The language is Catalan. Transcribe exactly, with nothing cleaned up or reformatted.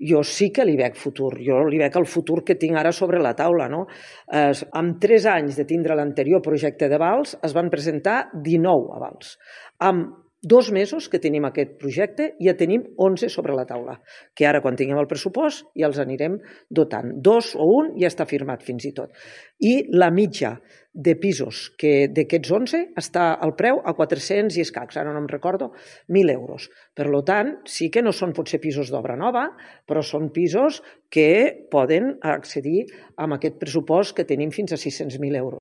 jo sí que li veig futur, jo li veig el futur que tinc ara sobre la taula. No? Eh, amb tres anys de tindre l'anterior projecte de vals es van presentar dinou avals. Amb dos mesos que tenim aquest projecte ja tenim onze sobre la taula, que ara quan tinguem el pressupost ja els anirem dotant. Dos o un ja està firmat fins i tot. I la mitja de pisos que d'aquests onze està al preu a quatre-cents i escacs, ara no em recordo, mil euros. Per tant, sí que no són potser pisos d'obra nova, però són pisos que poden accedir amb aquest pressupost que tenim fins a sis-cents mil euros.